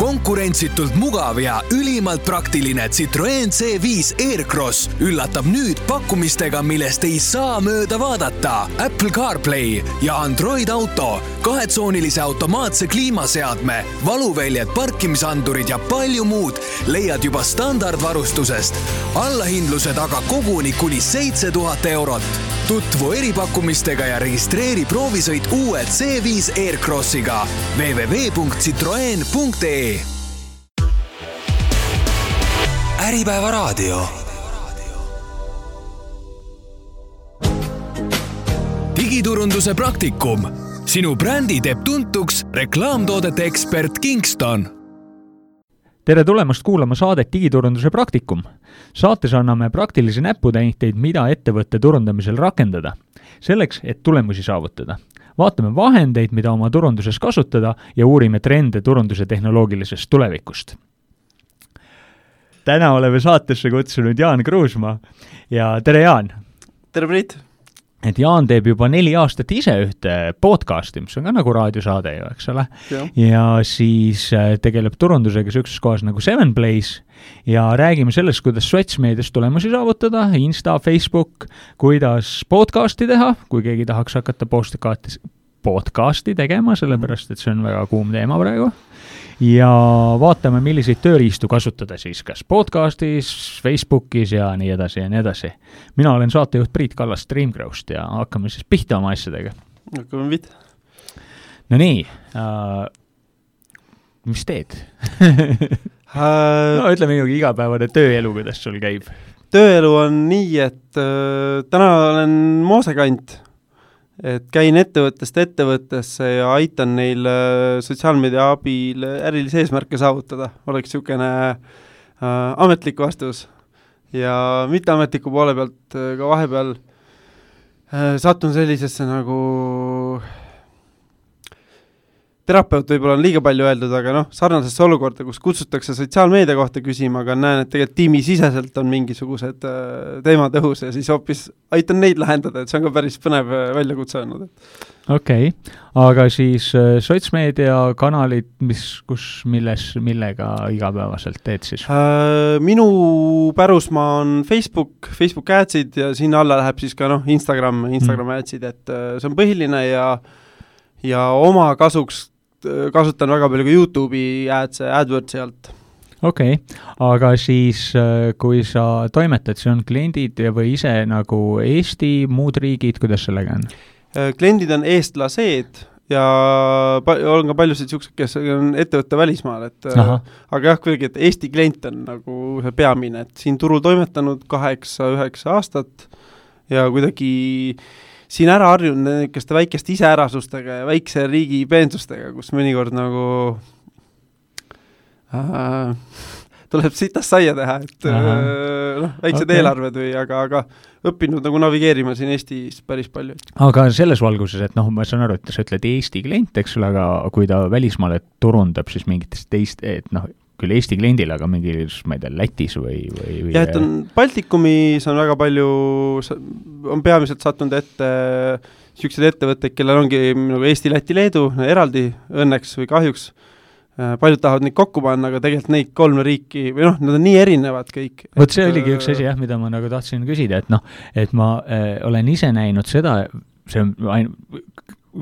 Konkurentsitult mugav ja ülimalt praktiline Citroen C5 Aircross üllatab nüüd pakkumistega, millest ei saa mööda vaadata. Apple CarPlay ja Android Auto, 2-tsoonilise automaatse kliimaseadme, valuväljed, parkimisandurid ja palju muud leiad juba standardvarustusest. Allahindluse taga koguni kuni 7000 eurot. Tutvu eripakkumistega ja registreeri proovisõit uue C5 Aircrossiga www.citroen.ee. Äripäeva raadio. Digiturunduse praktikum. Sinu brändi teeb tuntuks reklaamtoodete ekspert Kingston. Tere tulemast kuulama saadet Digiturunduse praktikum. Saates anname praktilisi näputäiteid, mida ettevõtte turundamisel rakendada. Selleks, et tulemusi saavutada. Vaatame vahendeid, mida oma turunduses kasutada ja uurime trende turunduse tehnoloogilisest tulevikust. Täna oleme saatesse kutsunud Jaan Kruusmaa. Ja tere Jaan! Tere Priit! Et Jaan teeb juba 4 aastat ise ühte podcasti, mis on ka nagu raadiosaade ju, eks ole. Ja siis tegeleb turundusega sükses kohas nagu 7Plays ja räägime sellest, kuidas sotsmeedias tulemusi saavutada, Insta, Facebook, kuidas podcasti teha, kui keegi tahaks hakata podcasti tegema, sellepärast, et see on väga kuum teema praegu. Ja vaatame, milliseid tööriistu kasutada siis, kas podcastis, Facebookis ja nii edasi ja nii edasi. Mina olen saatejuht Priit Kallas Streamgrowst ja hakkame siis pihta oma asjadega. Hakkame pihta. No nii, mis teed? No ütle minugi igapäevane tööelu, kuidas sul käib. Tööelu on nii, et täna olen moosekant. Et käin ettevõttesse ja aitan neil sotsiaalmeedia abil ärilise eesmärke saavutada. Oleks niisugune ametlik vastus. Ja mitteametliku poole pealt ka vahepeal satun sellisesse nagu terapeut võib-olla on liiga palju öeldud, aga sarnasesse olukorda, kus kutsutakse sotsiaalmeedia kohta küsima, aga näen, et tegelikult tiimi siseselt on mingisugused teemad õhus ja siis hoopis aitan neid lahendada, et see on ka päris põnev väljakutse olnud. Okei, aga siis sotsmeedia kanalid, millega igapäevaselt teed siis? Minu pärusmaa on Facebook Adsid ja sinna alla läheb siis ka Instagram Adsid, et see on põhiline ja oma kasuks kasutan väga palju ka YouTube'i AdWordsi alt. Okei, aga siis kui sa toimetad, see on kliendid või ise nagu Eesti, muud riigid, kuidas sellega on? Kliendid on eestlased ja on ka paljusid siuksed, kes on ettevõtte välismaal, aga jah, kuidagi, et Eesti klient on nagu see peamine, et siin turul toimetanud 8-9 aastat ja kuidagi siin ära harjun niisuguste väikeste iseärasustega ja väikse riigi peensustega, kus mõnikord nagu tuleb sitast saia teha, et väiksed eelarved või, aga õppinud nagu navigeerima siin Eestis päris palju. Aga selles valguses, et ma saan aru, et sa ütled Eesti klient, eks ole, aga kui ta välismaale turundab, siis mingitest teist, et küll Eesti kliendil, aga mingis, ma ei tea, Lätis või... Ja, et on Baltikumis on väga palju, on peamiselt sattunud ette siuksed ettevõtted, kellel ongi nagu Eesti, Läti, Leedu eraldi õnneks või kahjuks. Paljud tahavad neid kokku panna, aga tegelikult neid 3 riiki, või nad on nii erinevad kõik. Võt see oligi üks asi, mida ma nagu tahtsin küsida, et ma olen ise näinud seda, see on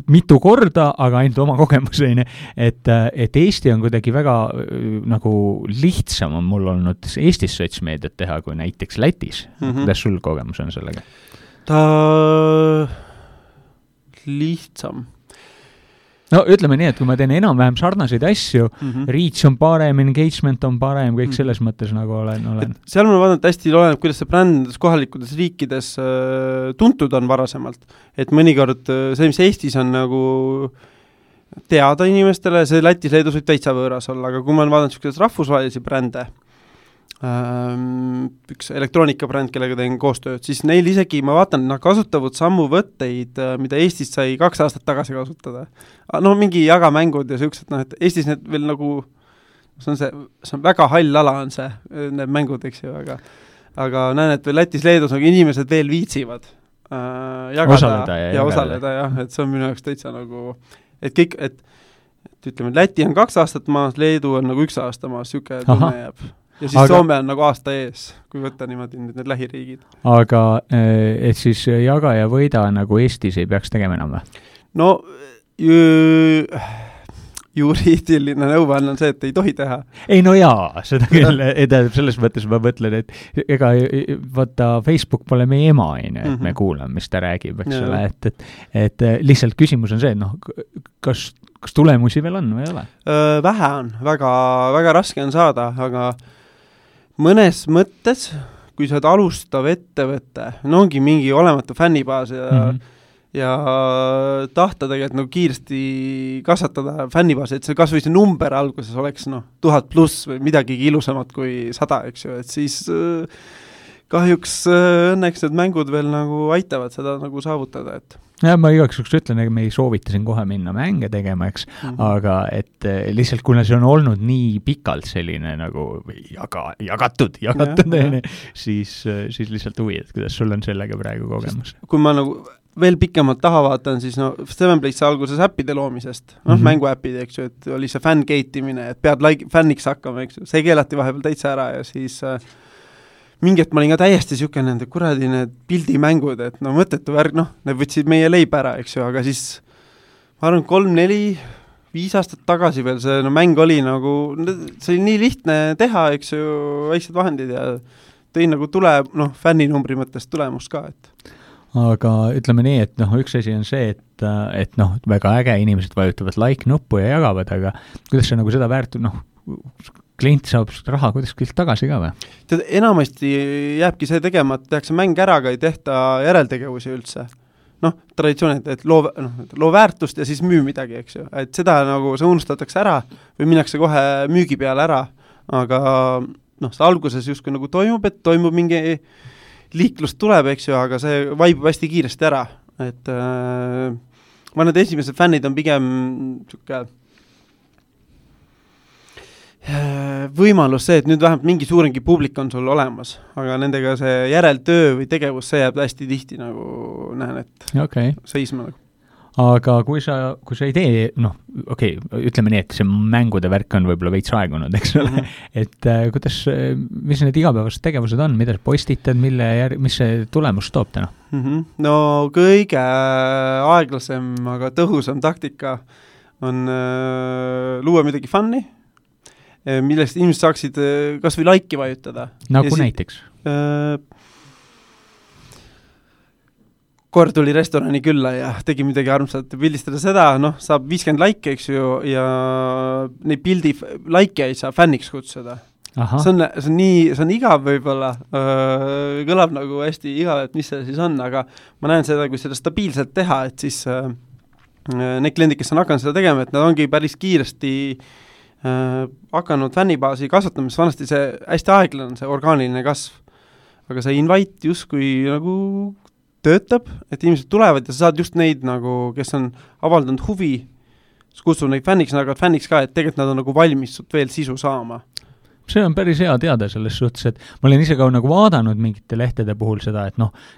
mitu korda, aga ainult oma kogemuseni, et Eesti on kuidagi väga nagu lihtsam on mul olnud Eestis sotsmeediat teha kui näiteks Lätis. Kuidas sul kogemus on sellega? Ta lihtsam. No ütleme nii, et kui ma teen enam-vähem sarnaseid asju, reach on parem, engagement on parem, kõik selles mõttes nagu olen. Seal ma vaadanud hästi oleneb, kuidas see bränd kohalikudes riikides tuntud on varasemalt. Et mõnikord see, mis Eestis on nagu teada inimestele, see Lätis, Leedus võib täitsa võõras olla, aga kui ma olen vaadanud rahvusvahelisi brände, üks elektroonikabränd, kellega teen koostööd, siis neil isegi, ma vaatan, nad kasutavad sammu võtteid, mida Eestis sai 2 aastat tagasi kasutada. Mingi jagamängud ja siuksed, et Eestis need veel nagu, see on väga hall ala on see, need mängud, eks ju, aga näen, et veel Lätis, Leedus nagu inimesed veel viitsivad jagada osaleda, ja osaleda, jah, et see on minu jaoks täitsa nagu, et kõik, et et ütleme, Läti on 2 aastat maas, Leedu on nagu 1 aasta maas, siuke tunne jääb. Ja siis Soome on nagu aasta ees, kui võtta niimoodi need lähiriigid. Aga et siis jaga ja võida nagu Eestis ei peaks tegema enam või? No juriidiline nõuanne on see, et ei tohi teha. Ei no jaa, seda küll, selles mõttes ma mõtlen, et ega vaata Facebook pole meie ema, et me kuulame, mis ta räägib, eks ole, et lihtsalt küsimus on see, et noh, kas tulemusi veel on või ei ole? Vähe on, väga, väga raske on saada, aga mõnes mõttes, kui sa oled alustav ettevõte, no ongi mingi olematu fännibaas ja tahta tegelikult nagu kiiresti kasvatada fännibaasi, et see kas või see number alguses oleks 1000 pluss või midagi ilusamat kui 100, eks ju, et siis kahjuks õnneks need mängud veel nagu aitavad seda nagu saavutada, et ja ma igaks juks ütlen, et me ei soovita siin kohe minna mänge tegema, eks, aga et lihtsalt kuna see on olnud nii pikalt selline nagu jagatud, siis lihtsalt huvi, et kuidas sul on sellega praegu kogemus? Kui ma nagu veel pikemalt taha vaatan, siis Seven Place alguses äppide loomisest, mänguäppid, eks ju, et oli see fängeitimine, et pead fänniks hakkama, eks ju, see keelati vahepeal täitsa ära ja siis mingit ma olin ka täiesti siuke nende kuradi need pildimängud, et mõttetu värg, need võtsid meie leib ära, eks ju, aga siis ma arvan 3, 4, 5 aastat tagasi veel see mäng oli nagu, see oli nii lihtne teha, eks ju, väiksed vahendid ja tõi nagu fänninumbri mõttes tulemust ka, et aga ütleme nii, et üks asi on see, et väga äge, inimesed vajutavad like-nuppu ja jagavad, aga kuidas see nagu seda klient saab raha kuidas küll tagasi ka või? Tead, enamasti jääbki see tegema, et tehakse mäng ära, aga ei tehta järeltegevusi üldse. Traditsioonid, et loo väärtust ja siis müü midagi, eks ju. Et seda nagu see unustatakse ära või minnakse kohe müügi peale ära, aga see alguses justkui nagu toimub, et toimub mingi liiklus tuleb, eks ju, aga see vaibub hästi kiiresti ära. Et ma need esimesed fännid on pigem siuke võimalus see, et nüüd vähemalt mingi suurengi publik on sul olemas, aga nendega see järeltöö või tegevus, see jääb hästi tihti nagu näen, et seisma nagu. Aga kui sa ei tee, ütleme nii, et see mängude värk on võib-olla veits aegunud, eks ole, et kuidas, mis need igapäevased tegevused on, mida sa postitad, mis see tulemus toob täna? No kõige aeglasem, aga tõhusam taktika on luua midagi fun'i, millest inimesed saaksid kas või laiki vajutada. Nagu näiteks? Kord tuli restorani külla ja tegi midagi armsat pildistada seda, saab 50 laike, eks ju, ja neid pildi laike ei saa fänniks kutsuda. See on igav võib-olla, kõlab nagu hästi igav, et mis see siis on, aga ma näen seda, kui seda stabiilselt teha, et siis need kliendid, kes on hakanud seda tegema, et nad ongi päris kiiresti hakanud fännibaasi kasvatamist, vanasti see hästi aeglane, see orgaaniline kasv. Aga see invite justkui nagu töötab, et inimesed tulevad ja sa saad just neid nagu, kes on avaldanud huvi, kutsud neid fänniks, aga fänniks ka, et tegelikult nad on nagu valmis veel sisu saama. See on päris hea teada selles suhtes, et ma olen ise ka nagu vaadanud mingite lehtede puhul seda, et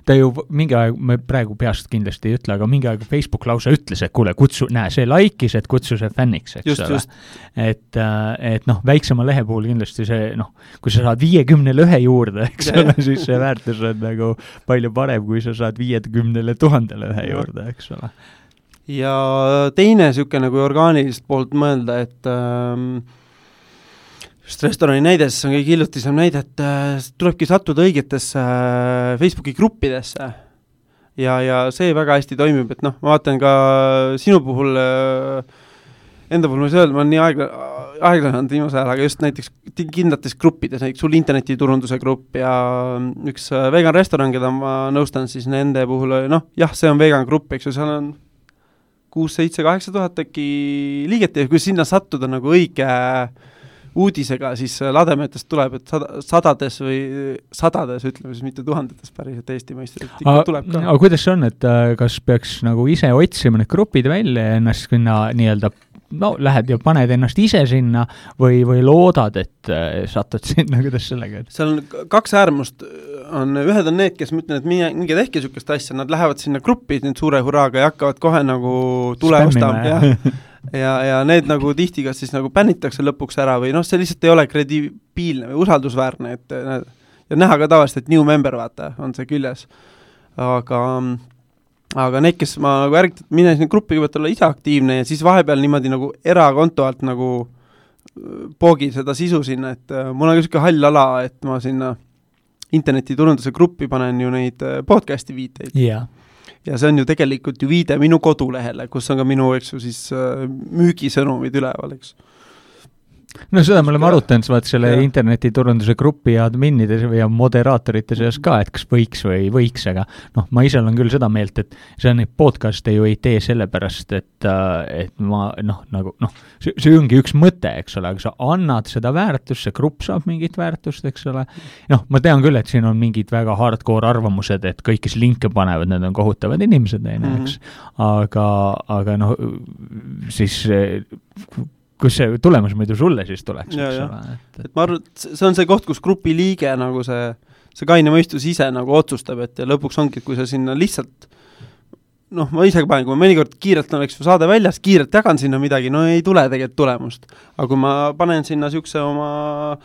ta ju mingi aeg, me praegu peast kindlasti ei ütle, aga mingi aeg Facebook lausa ütles, et kuule, see laikis, et kutsu see fänniks, eks ole. Et väiksema lehe puhul kindlasti see, kui sa saad 51 juurde, eks ole, siis see väärtus on nagu palju parem, kui sa saad 50 000 juurde, eks ole. Ja teine siuke nagu orgaanilist poolt mõelda, et just restorani näides on kõige hiljutisem näide, et tulebki sattuda õigetesse Facebooki gruppidesse ja see väga hästi toimib, et ma vaatan ka sinu puhul, enda puhul ma ei saa öelda, ma olen nii aeglane viimase ajal, aga just näiteks kindlates gruppides, näiteks sul internetiturunduse grupp ja üks vegan restoran, keda ma nõustan, siis nende puhul, see on vegan grupp, eks ju, seal on 6, 7, 8 tuhat äkki liiget ja kui sinna sattuda nagu õige uudisega, siis lademetest tuleb, et sadades, ütleme siis mitte tuhandetes päriselt Eesti mõistes, et ikka tuleb ka. Aga kuidas see on, et kas peaks nagu ise otsima need grupid välja ja ennast sinna nii-öelda, lähed ja paned ennast ise sinna või loodad, et satud sinna, kuidas sellega? Seal on 2 äärmust, ühed on need, kes mõtlen, et minge tehke sükest asja, nad lähevad sinna gruppi nüüd suure hurraaga ja hakkavad kohe nagu tule ostama ja need nagu tihti kas siis nagu bännitakse lõpuks ära või noh, see lihtsalt ei ole kredibiilne või usaldusväärne, et ja näha ka tavaliselt, et new member, vaata, on see küljes. Aga need, kes ma nagu ärgitan, mine sinna gruppi kõigepealt olla ise aktiivne ja siis vahepeal niimoodi nagu erakonto alt nagu poogi seda sisu sinna, et mul on ka selline hall ala, et ma sinna internetiturunduse gruppi panen ju neid podcasti viiteid. Yeah. Ja see on ju tegelikult ju viide minu kodulehele, kus on ka minu, eks ju, siis müügisõnumid üleval, eks. No seda me oleme arutanud, vaat selle internetiturunduse grupi adminide ja moderaatorite seas ka, et kas võiks või ei võiks, aga noh, ma ise olen küll seda meelt, et see on neid podcaste ju ei tee sellepärast, et ma see ongi üks mõte, eks ole, aga sa annad seda väärtust, see grupp saab mingit väärtust, eks ole. Noh, ma tean küll, et siin on mingid väga hardcore arvamused, et kõik, kes linke panevad, need on kohutavad inimesed, eks. Aga noh, siis kus see tulemus muidu sulle siis tuleks, eks ole. Et ma arvan, et see on see koht, kus grupi liige nagu see kaine mõistus ise nagu otsustab, et ja lõpuks ongi, kui sa sinna lihtsalt noh, ma ise panen, kui ma mõnikord kiirelt oleks saade väljas, kiirelt jagan sinna midagi, no ei tule tegelikult tulemust. Aga kui ma panen sinna siukse oma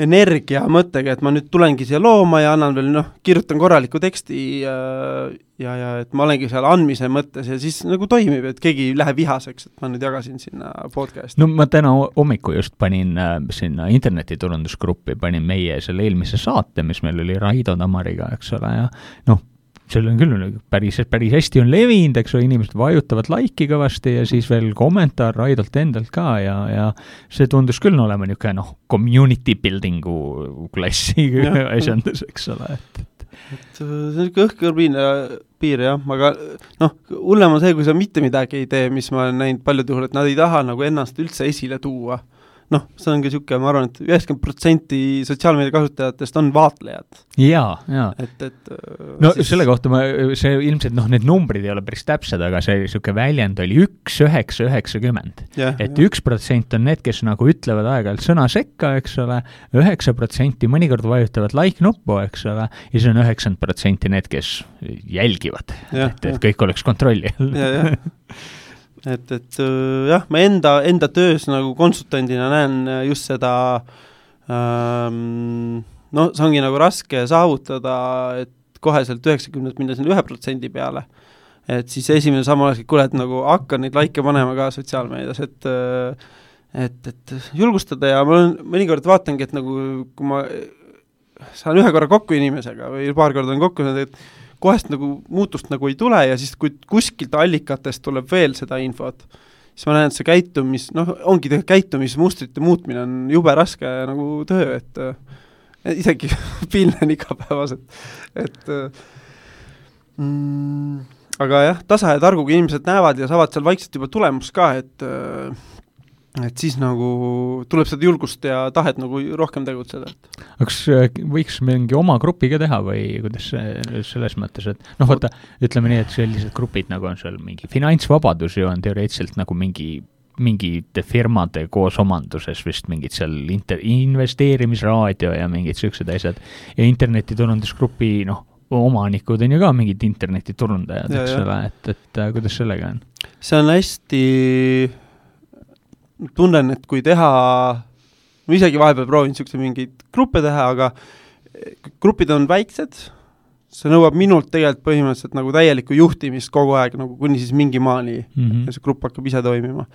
energia mõttega, et ma nüüd tulengi siia looma ja annan veel, kirjutan korraliku teksti ja et ma olengi seal andmise mõttes ja siis nagu toimib, et keegi läheb vihaseks, et ma nüüd jagasin sinna podcasti. No ma täna hommiku just panin sinna internetiturundusgruppi, panin meie selle eelmise saate, mis meil oli Raido Tamariga, eks ole, ja noh, seal on küll päris hästi on levinud, eks ole, inimesed vajutavad laiki kõvasti ja siis veel kommentaar Raidolt endalt ka ja see tundus küll olema niisugune community buildingu klassi asjandus, eks ole. See on õhkõr piir, jah, aga hullem on see, kui sa mitte midagi ei tee, mis ma olen näinud paljud juhul, et nad ei taha nagu ennast üldse esile tuua. See on ka siuke, ma arvan, et 90% sotsiaalmeedia kasutajatest on vaatlejad. Jaa. No siis selle kohta see ilmselt, need numbrid ei ole päris täpsed, aga see siuke väljend oli 1,990. Et 1% on need, kes nagu ütlevad aeg-ajalt sõna sekka, eks ole, 9% mõnikord vajutavad like-nuppu, eks ole, ja see on 90% need, kes jälgivad, et kõik oleks kontrolli. Et jah, ma enda töös nagu konsultandina näen just seda, see ongi nagu raske saavutada, et koheselt 90 minna sinna 1% peale. Et siis esimene samm oleks, et kuule, et nagu hakka neid laike panema ka sotsiaalmeedias, et julgustada ja ma mõnikord vaatangi, et nagu kui ma saan ühe korra kokku inimesega või paar korda on kokku, et kohest nagu muutust nagu ei tule ja siis kui kuskilt allikatest tuleb veel seda infot, siis ma näen, et see ongi käitumismustrite muutmine on jube raske nagu töö, et isegi pilnen igapäevaselt, aga jah, tasa ja targuga inimesed näevad ja saavad seal vaikselt juba tulemus ka, et siis nagu tuleb seda julgust ja tahet nagu rohkem tegutseda. Kas võiks mingi oma grupi ka teha või kuidas selles mõttes, et vaata, ütleme nii, et sellised grupid nagu on seal mingi finantsvabadus ju on teoreetselt nagu mingite firmade koos omanduses vist mingid seal investeerimisraadio ja mingid sellised asjad ja internetiturundusgrupi omanikud on ju ka mingid internetiturundajad, eks ole, et kuidas sellega on? See on hästi tunnen, et kui teha, ma isegi vahepeal proovin niisuguse mingeid gruppe teha, aga grupid on väiksed, see nõuab minult tegelikult põhimõtteliselt nagu täielikku juhtimist kogu aeg, nagu kuni siis mingi maani ja see grupp hakkab ise toimima.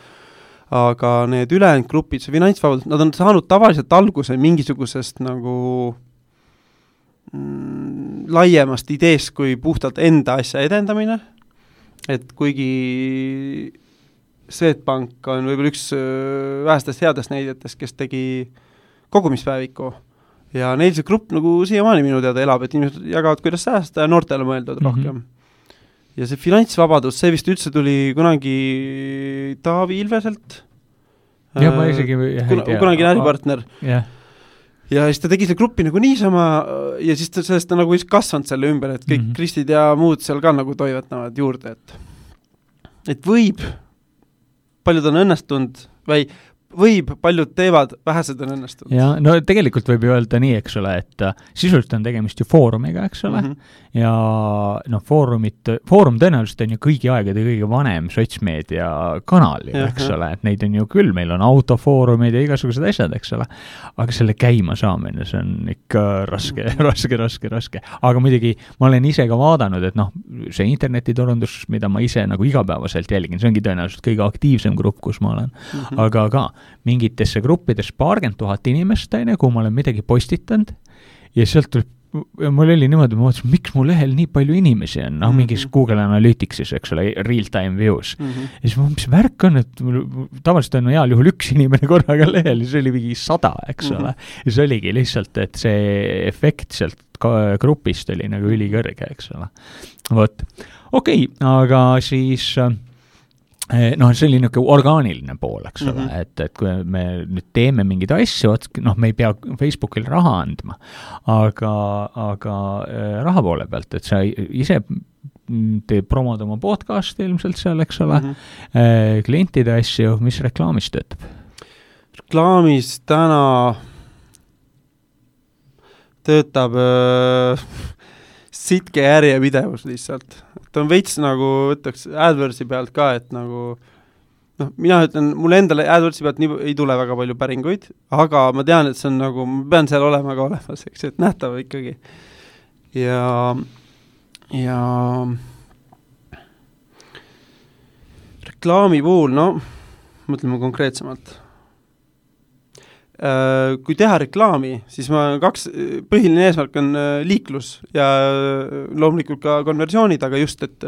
Aga need ülejäänud grupid, see finantsvabadus, nad on saanud tavaliselt alguse mingisugusest nagu laiemast ideest kui puhtalt enda asja edendamine, et kuigi Swedbank on võib-olla üks vähestest headest näidetest, kes tegi kogumispäeviku ja neil see grupp nagu siiamaani minu teada elab, et inimesed jagavad, kuidas säästa ja noortele mõeldud rohkem. Ja see finantsvabadus, see vist üldse tuli kunagi Taavi Ilveselt. Ja ma isegi kunagi äripartner. Ja siis ta tegi selle gruppi nagu niisama ja siis sellest on nagu kasvanud selle ümber, et kõik Kristid ja muud seal ka nagu toivatavad juurde, et võib paljud on õnnestunud või võib, paljud teevad, vähesed on õnnestunud. Ja, no tegelikult võib ju öelda nii, eks ole, et sisuliselt on tegemist ju foorumiga, eks ole, ja no foorum tõenäoliselt on ju kõigi aegade kõige vanem sotsmeedia kanal, eks ole, et neid on ju küll, meil on autofoorumid ja igasugused asjad, eks ole, aga selle käima saamine, see on ikka raske. Aga muidugi ma olen ise ka vaadanud, et noh, see internetiturundus, mida ma ise nagu igapäevaselt jälgin, see ongi tõenäoliselt kõige aktiivsem grupp, kus ma olen. Aga ka mingitesse gruppides 40 000 inimest, kuhu ma olen midagi postitanud ja sealt tuleb, mul oli niimoodi, ma mõtlesin, miks mu lehel nii palju inimesi on, mingis Google Analyticsis, eks ole, real-time views. Ja siis mis värk on, et tavaliselt on heal juhul üks inimene korraga lehel ja see oli mingi 100, eks ole. Ja see oligi lihtsalt, et see efekt sealt grupist oli nagu ülikõrge, eks ole. Vot, okei, aga siis noh, see oli niisugune orgaaniline pool, eks ole, et kui me nüüd teeme mingeid asju, noh, me ei pea Facebookil raha andma, aga raha poole pealt, et sa ise teed promod oma podcasti ilmselt seal, eks ole, klientide asju, mis reklaamis töötab? Reklaamis täna töötab sitke järjepidevus lihtsalt. Et on veits nagu, võtaks AdWordsi pealt ka, et nagu, noh, mina ütlen, mulle endale AdWordsi pealt nii ei tule väga palju päringuid, aga ma tean, et see on nagu, ma pean seal olema ka olemas, eks, et nähtav ikkagi. Ja reklaami puhul, no, mõtleme konkreetsemalt. Kui teha reklaami, siis põhiline eesmärk on liiklus ja loomulikult ka konversioonid, aga just, et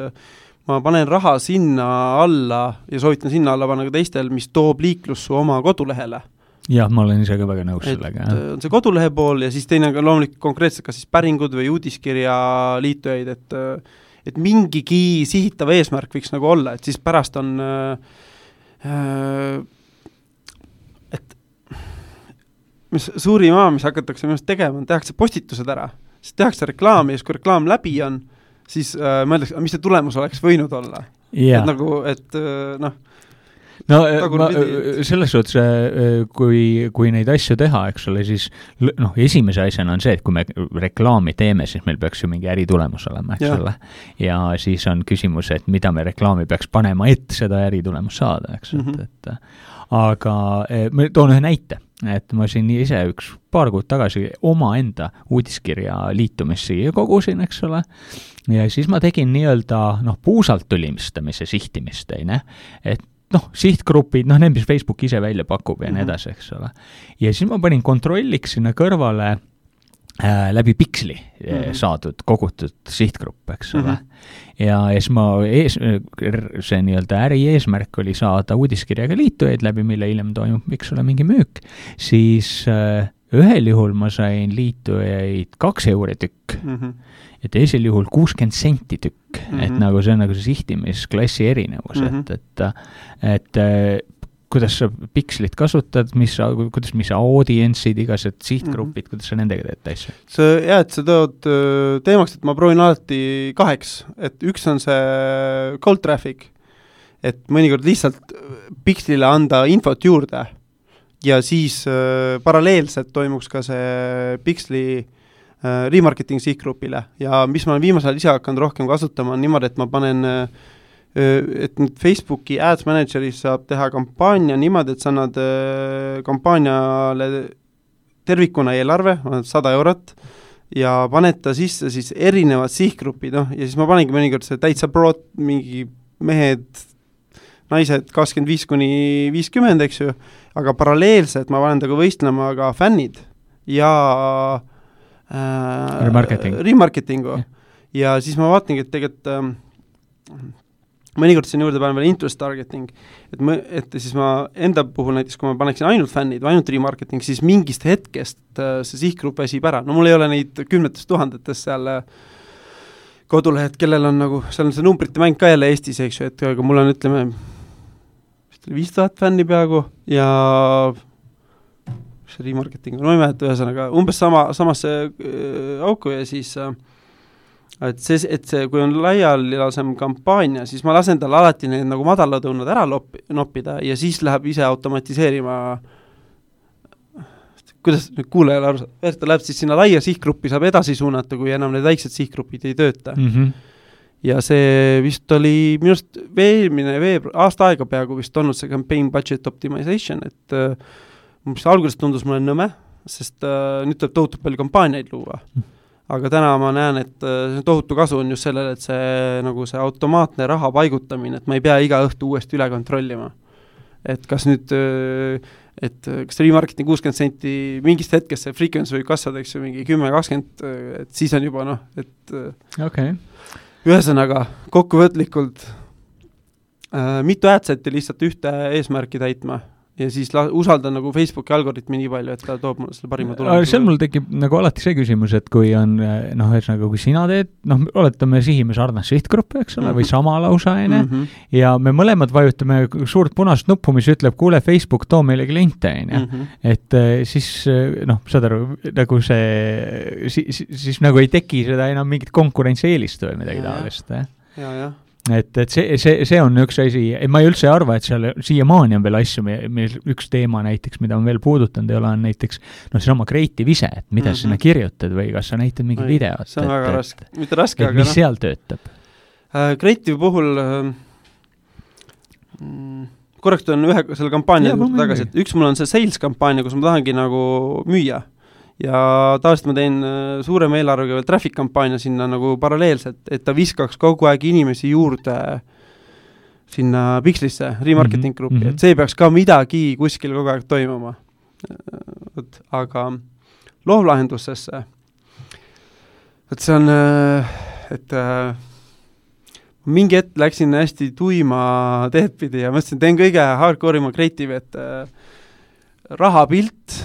ma panen raha sinna alla ja soovitan sinna alla panna ka teistel, mis toob liiklus su oma kodulehele. Jah, ma olen ise ka väga nõus sellega. On see kodulehe pool ja siis teine ka loomulikult konkreetselt kas siis päringud või uudiskirja liitujaid, et mingigi sihitav eesmärk võiks nagu olla, et siis pärast on mis suurim mis hakatakse minust tegema, tehakse postitused ära, siis tehakse reklaami ja kui reklaam läbi on, siis mõeldakse, mis see tulemus oleks võinud olla. Yeah. Et nagu, et noh, no selles suhtes, kui neid asju teha, eks ole, siis noh, esimese asjana on see, et kui me reklaami teeme, siis meil peaks ju mingi äritulemus olema, eks ole. Ja siis on küsimus, et mida me reklaami peaks panema, et seda äritulemus saada, eks et aga ma toon ühe näite, et ma siin ise paar kuud tagasi oma enda uudiskirja liitumisi kogusin, eks ole, ja siis ma tegin nii-öelda puusalt tülimistamise sihtimist, et sihtgrupid, need, mis Facebook ise välja pakub ja nii edasi, eks ole. Ja siis ma panin kontrolliks sinna kõrvale läbi Pixli saadud, kogutud sihtgrupp, eks ole. Ja siis see nii-öelda äri eesmärk oli saada uudiskirjaga liitujaid läbi, mille hiljem toimub, miks ole mingi müük, siis ühel juhul ma sain liitujaid 2 euri tükk ja teisel juhul 60 senti tükk, et nagu see on nagu see sihtimisklassi erinevus, et kuidas sa Pixlit kasutad, kuidas sa audientsid, igased sihtgrupid, kuidas sa nendega teed asja? Et sa tood teemaks, et ma proovin alati 2, et üks on see cold traffic, et mõnikord lihtsalt Pixlile anda infot juurde ja siis paralleelselt toimuks ka see Pixli remarketing sihtgrupile ja mis ma olen viimasel ise hakanud rohkem kasutama on niimoodi, et ma panen et nüüd Facebooki Ads Manageris saab teha kampaania niimoodi, et sa annad kampaaniale tervikuna eelarve, 100 eurot, ja paned ta sisse siis erinevad sihtgrupid, ja siis ma panengi mõnikord see täitsa broad, mingi mehed, naised 25–50, eks ju, aga paralleelselt ma panen taga võistlema ka fännid ja remarketingu. Ja siis ma vaatangi, et tegelikult mõnikord siin juurde panen veel interest targeting, et siis ma enda puhul näiteks, kui ma paneksin ainult fännid või ainult remarketing, siis mingist hetkest see sihtgrupp väsib ära. No mul ei ole neid 10 000 seal kodulehed, kellel on nagu, seal on see numbrite mäng ka jälle Eestis, eks ju, et aga mul on, ütleme, 5000 fänni peaaegu ja see remarketing, no ei mäleta ühesõnaga, umbes samasse auku ja siis et see, kui on laialilasem kampaania, siis ma lasen tal alati need nagu madalad õunad ära noppida ja siis läheb ise automatiseerima, kuidas nüüd kuulajale aru saab, ta läheb siis sinna laia sihtgruppi, saab edasi suunata, kui enam need väiksed sihtgrupid ei tööta. Ja see vist oli minust aasta aega peaaegu vist olnud see campaign budget optimization, et mis alguses tundus mulle nõme, sest nüüd tuleb tohutu palju kampaaniaid luua. Aga täna ma näen, et see tohutu kasu on just sellele, et see, nagu see automaatne raha paigutamine, et ma ei pea iga õhtu uuesti üle kontrollima. Et kas nüüd, et kas remarketing 60 senti mingist hetkest see frequency võib kasvada, eks ju, mingi 10-20, et siis on juba et ühesõnaga, kokkuvõtlikult mitu adsetti lihtsalt ühte eesmärki täitma ja siis usaldan nagu Facebooki algoritmi nii palju, et ta toob mulle selle parima tulemuse. Seal mul tekib nagu alati see küsimus, et kui on, kui sina teed, oletame sihime sarnast sihtgruppi, eks ole, või sama lausa, ja me mõlemad vajutame suurt punast nuppu, mis ütleb, kuule, Facebook, too meile kliente, et siis, saad aru, nagu siis nagu ei teki seda enam mingit konkurentsieelist või midagi taolist, jah. Et see on üks asi, ma ei üldse arva, et seal siiamaani on veel asju, meil üks teema näiteks, mida on veel puudutanud, ei ole on näiteks, see oma creative ise, et mida sinna kirjutad või kas sa näitad mingi videot. See on väga raske, mitte raske, aga mis seal töötab? Creative puhul korrekt on ühe selle kampaania tagasi, et üks mul on see sales kampaania, kus ma tahangi nagu müüa. Ja tavaliselt ma teen suurema eelarvega veel traffic kampaania sinna nagu paralleelselt, et ta viskaks kogu aeg inimesi juurde sinna Pixlisse, remarketing gruppi, et see peaks ka midagi kuskil kogu aeg toimuma. Aga loovlahendusesse, et see on, et mingi hetk läksin hästi tuima teed pidi ja mõtlesin, teen kõige hardcore'ima creative, et rahapilt,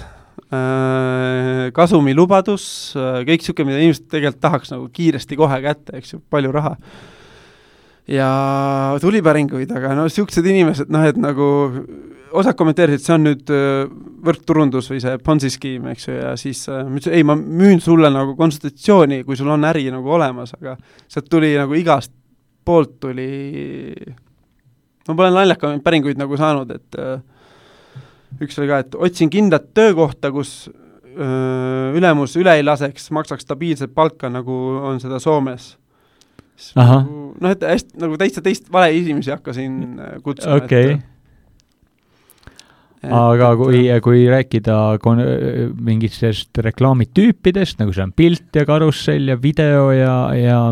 kasumi lubadus, kõik siuke, mida inimesed tegelikult tahaks nagu kiiresti kohe kätte, eks ju, palju raha. Ja tulipäringuid, aga siuksed inimesed, et nagu osad kommenteerisid, see on nüüd võrkturundus või see Ponzi skeem, eks ju, ja siis ei, ma müün sulle nagu konsultatsiooni, kui sul on äri nagu olemas, aga sealt tuli nagu igast poolt tuli, ma pole naljaka päringuid nagu saanud, et üks oli ka, et otsin kindlat töökohta, kus ülemus üle ei laseks, maksaks stabiilset palka, nagu on seda Soomes. Et hästi, nagu teist vale inimesi hakkasin kutsuma. Okay. Aga kui rääkida mingitest reklaamitüüpidest, nagu see on pilt ja karussell ja video ja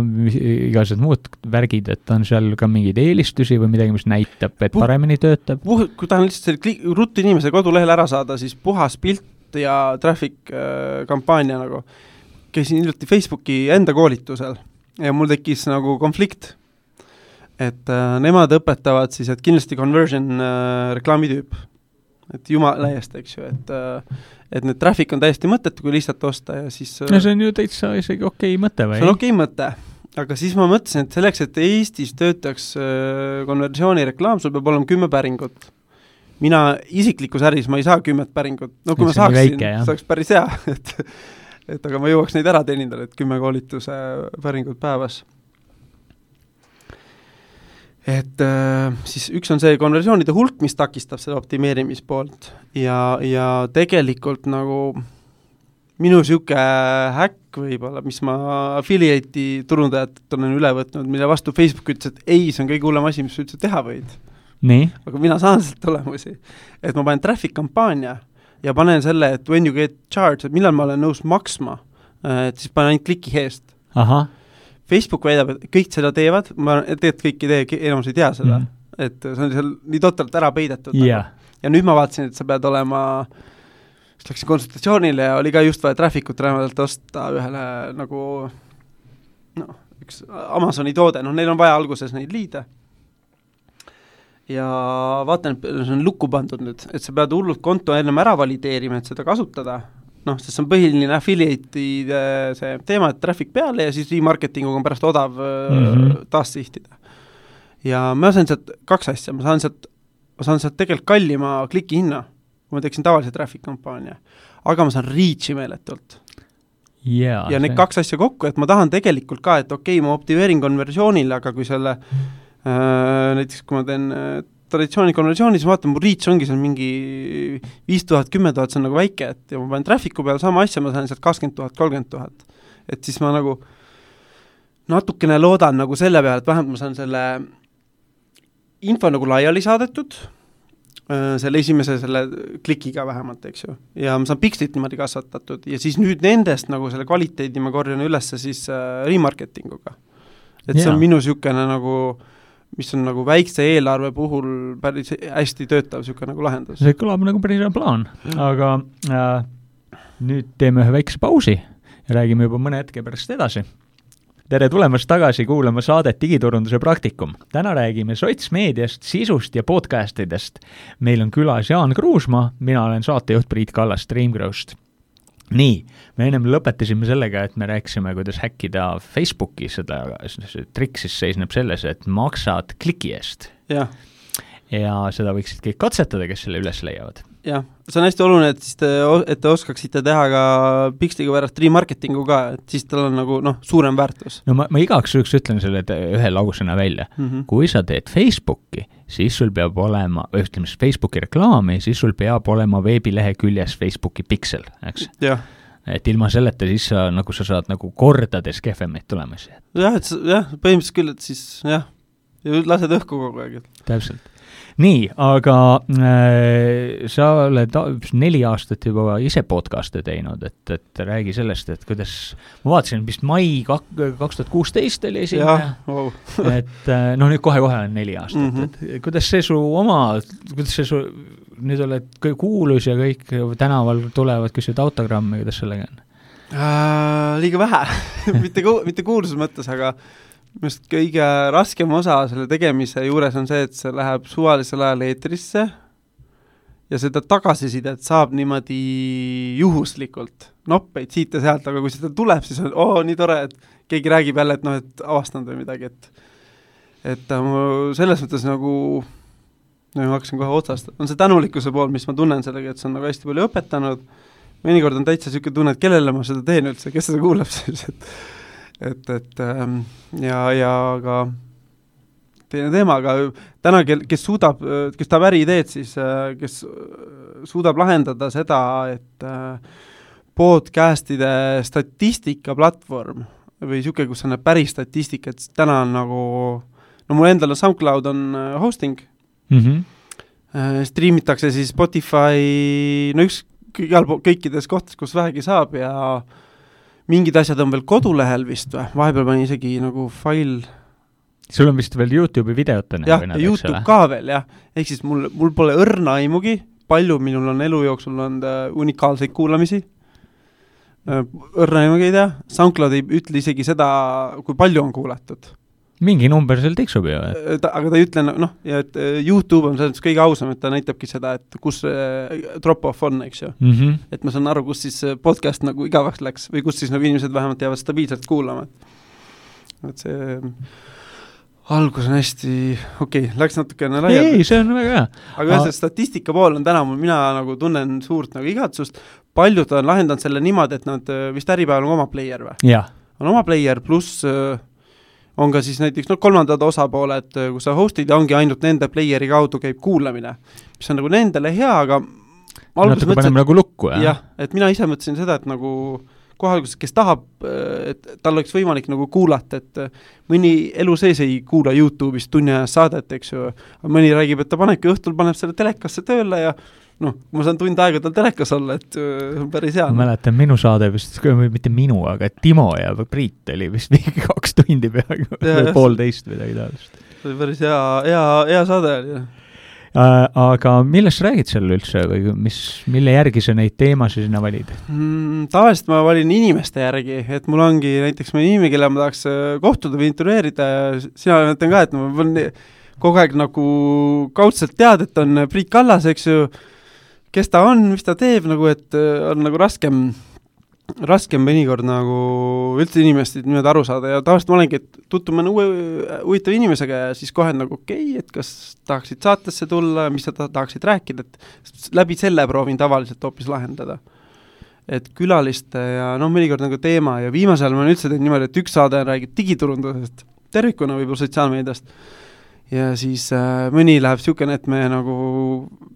igased muud värgid, et on seal ka mingeid eelistusi või midagi, mis näitab, et paremini töötab? Kui tahan lihtsalt ruttu inimese kodulehel ära saada, siis puhas pilt ja traffic kampaania nagu. Käisin hiljuti Facebooki enda koolitusel ja mul tekkis nagu konflikt, et nemad õpetavad siis, et kindlasti conversion reklaamitüüp, et jumala eest, eks ju, et need traffic on täiesti mõttetu, kui lihtsalt osta ja siis... No see on ju täitsa isegi okei mõte või? See on okei mõte, aga siis ma mõtlesin, et selleks, et Eestis töötaks konversioonireklaam, sul peab olema 10 päringut. Mina isiklikus äris ma ei saa 10 päringut. No kui ma saaksin, see oleks päris hea, et aga ma jõuaks neid ära teenindada, et 10 koolituse päringut päevas. Et siis üks on see konversioonide hulk, mis takistab seda optimeerimispoolt ja tegelikult nagu minu siuke häkk võib-olla, mis ma affiliate'i turundajat olen üle võtnud, mille vastu Facebook ütles, et ei, see on kõige hullem asi, mis üldse teha võid. Nii? Aga mina saan sealt tulemusi. Et ma panen traffic kampaania ja panen selle, et when you get charged, et millal ma olen nõus maksma, et siis panen ainult kliki eest. Aha. Facebook väidab, et kõik seda teevad, ma teed kõik ei tee, enamus ei tea seda, et see on seal nii totralt ära peidetud. Yeah. Ja nüüd ma vaatasin, et sa pead olema, läksin konsultatsioonile ja oli ka just vaja trafficut räämalt osta ühele nagu üks Amazoni toode, neil on vaja alguses neid liide. Ja vaatan, et see on lukku pandud nüüd, et sa pead hullult konto ennem ära valideerima, et seda kasutada. Sest see on põhiline affiliate'ide see teema, et traffic peale ja siis remarketinguga on pärast odav taas sihtida. Ja ma saan sealt 2 asja, ma saan sealt tegelikult kallima kliki hinna, kui ma teeksin tavalise traffic kampaania, aga ma saan reach'i meeletult. yeah, ja need kaks asja kokku, et ma tahan tegelikult ka, et ma optimeerin konversioonile, aga kui selle näiteks kui ma teen traditsioonikonversioonis, vaatan, mu reach ongi seal mingi 5000, 10 000, see on nagu väike, et ja ma panen traffic'u peal sama asja, ma saan sealt 20 000, 30 000. Et siis ma nagu natukene loodan nagu selle peale, et vähemalt ma saan selle info nagu laiali saadetud, selle esimese selle klikiga vähemalt, eks ju. Ja ma saan pikslit niimoodi kasvatatud ja siis nüüd nendest nagu selle kvaliteedi ma korjan ülesse siis remarketinguga. Et see on minu sükene nagu mis on nagu väikse eelarve puhul päris hästi töötav siuke nagu lahendus. See kõlab nagu päris hea plaan, aga nüüd teeme ühe väikse pausi ja räägime juba mõne hetke pärast edasi. Tere tulemast tagasi kuulama saadet Digiturunduse praktikum. Täna räägime sotsmeediast, sisust ja podcastidest. Meil on külas Jaan Kruusmaa, mina olen saatejuht Priit Kallas Streamgrowst. Nii, me ennem lõpetasime sellega, et me rääkisime, kuidas häkkida Facebooki, seda trik siis seisneb selles, et maksad kliki eest. Ja seda võiksid kõik katsetada, kes selle üles leiavad. Jah, see on hästi oluline, et te oskaksite teha ka Pixliga pärast remarketingu ka, et siis tal on nagu suurem väärtus. No ma igaks üks ütlen selle ühe lausena välja. Kui sa teed Facebooki, siis sul peab olema, ütleme Facebooki reklaami, siis sul peab olema veebilehe küljes Facebooki Pixel, eks? Jah. Et ilma selleta siis sa saad nagu kordades kehvemaid tulemusi. Jah, põhimõtteliselt küll, et siis ja lased õhku kogu aeg. Täpselt. Nii, aga sa oled 4 aastat juba ise podcast'e teinud, et räägi sellest, et kuidas, ma vaatasin, vist mai 2016 oli esimene, wow. Et nüüd kohe on 4 aastat, et kuidas see su nüüd oled kuulus ja kõik tänaval tulevad küsivad autogrammi, kuidas sellega on? Liiga vähe, mitte kuulsus mõttes, aga mest kõige raskem osa selle tegemise juures on see, et see läheb suvalisel ajal eetrisse ja seda tagasisidet saab niimoodi juhuslikult noppeid siit ja sealt, aga kui seda tuleb, siis on nii tore, et keegi räägib jälle, et avastanud või midagi, et selles mõttes nagu ma hakkasin kohe otsast, on see tänulikkuse pool, mis ma tunnen sellega, et see on nagu hästi palju õpetanud, mõnikord on täitsa siuke tunne, et kellele ma seda teen üldse, kes seda kuulab siis, ja ka teine teema, aga täna, kes tahab äriideed, siis kes suudab lahendada seda, et podcastide statistika platvorm või siuke, kus on päris statistika, et täna on nagu, mul endal on SoundCloud on hosting, streamitakse siis Spotify, kõikides kohtades, kus vähegi saab ja mingid asjad on veel kodulehel vist või, vahepeal pani isegi nagu fail. Sul on vist veel YouTube'i videotena? Jah, ja YouTube ka veel, jah. Ehk siis mul pole õrna aimugi, palju minul on elu jooksul on unikaalseid kuulamisi. Õrna aimugi ei tea. SoundCloud ei ütle isegi seda, kui palju on kuulatud. Mingi number seal tiksub ju. Aga ta ei ütle, ja et YouTube on selles kõige ausam, et ta näitabki seda, et kus drop-off on, eks ju. Et ma saan aru, kus siis podcast nagu igavaks läks või kus siis nagu inimesed vähemalt jäävad stabiilselt kuulama. Et see algus on hästi, läks natukene laialt. Ei, see on väga hea. Aga see statistika pool on täna, mina nagu tunnen suurt nagu igatsust. Paljud on lahendanud selle niimoodi, et nad vist äripäeval on oma player või? Jah. On oma player pluss on ka siis näiteks kolmandad osapooled, kus sa hostid ja ongi ainult nende playeri kaudu käib kuulamine, mis on nagu nendele hea, aga natuke paneme nagu lukku, jah, et mina ise mõtlesin seda, et nagu kohalikuses, kes tahab, et tal oleks võimalik nagu kuulata, et mõni elu sees ei kuula YouTube'ist tunni ajas saadet, eks ju, mõni räägib, et ta panebki õhtul, paneb selle telekasse tööle ja ma saan tund aega tal telekas olla, et on päris hea. Ma mäletan, minu saade vist, mitte minu, aga Timo ja Priit oli vist mingi 2 tundi peaaegu, 1,5 midagi taolist. See oli päris hea saade oli. Aga millest räägid seal üldse või mille järgi sa neid teemasid sinna valid? Tavaliselt ma valin inimeste järgi, et mul ongi näiteks mõni inimene, kelle ma tahaks kohtuda või intervjueerida ja sina mõtlen ka, et ma võin kogu aeg nagu kaudselt tead, et on Priit Kallas, eks ju, kes ta on, mis ta teeb, nagu, et on nagu raskem mõnikord nagu üldse inimestid niimoodi aru saada ja tavaliselt ma olengi, et tutvume huvitav inimesega ja siis kohe nagu et kas tahaksid saatesse tulla, mis sa tahaksid rääkida, et läbi selle proovin tavaliselt hoopis lahendada. et külaliste ja mõnikord nagu teema ja viimasel ma üldse teen niimoodi, et üks saade räägib digiturundusest, tervikuna võib-olla sotsiaalmeediast ja siis mõni läheb niisugune, et me nagu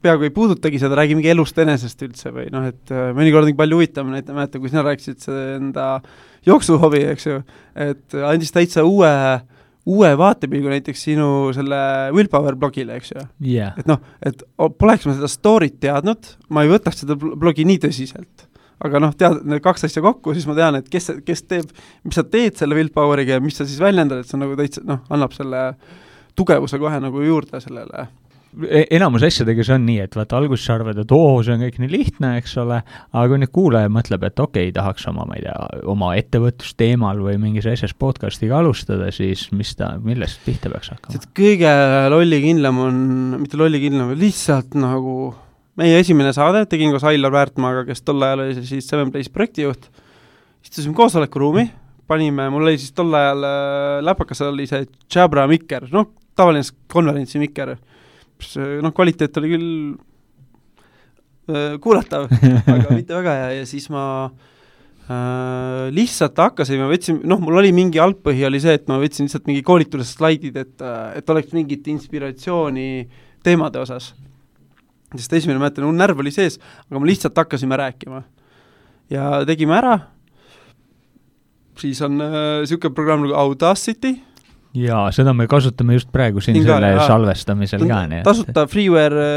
peaaegu ei puudutagi seda, räägimegi elust enesest üldse või et mõnikord on palju huvitav, näete, kui sina rääkisid enda jooksuhobi, eks ju, et andis täitsa uue vaatepilgu näiteks sinu selle Willpower blogile, eks ju. Yeah. Et poleks ma seda story't teadnud, ma ei võtaks seda blogi nii tõsiselt. Aga tead need kaks asja kokku, siis ma tean, et kes teeb, mis sa teed selle Willpoweriga ja mis sa siis väljendad, et see nagu täitsa, annab selle tugevuse kohe nagu juurde sellele. Enamus asjadega see on nii, et vaata alguses sa arvad, et see on kõik nii lihtne, eks ole, aga kui nüüd kuulaja mõtleb, et tahaks oma ettevõtlusteemal või mingis asjas podcastiga alustada, siis millest pihta peaks hakkama? Kõige lollikindlam on, mitte lollikindlam, lihtsalt nagu meie esimene saade, tegin koos Ailar Väärtmaaga, kes tol ajal oli siis 7Place projektijuht, istusime koosolekuruumi, mul oli siis tol ajal läpakas oli see Jabra mikker, tavaline konverentsi mikker, kvaliteet oli küll kuulatav, aga mitte väga ja siis ma lihtsalt hakkasime, mul oli mingi algpõhi oli see, et ma võtsin lihtsalt mingi koolituse slaidid, et oleks mingit inspiratsiooni teemade osas. Sest esimene mäletan, närv oli sees, aga me lihtsalt hakkasime rääkima. Ja tegime ära, siis on niisugune programm nagu Audacity. Jaa, seda me kasutame just praegu siin selle salvestamisel ka. Tasuta freeware,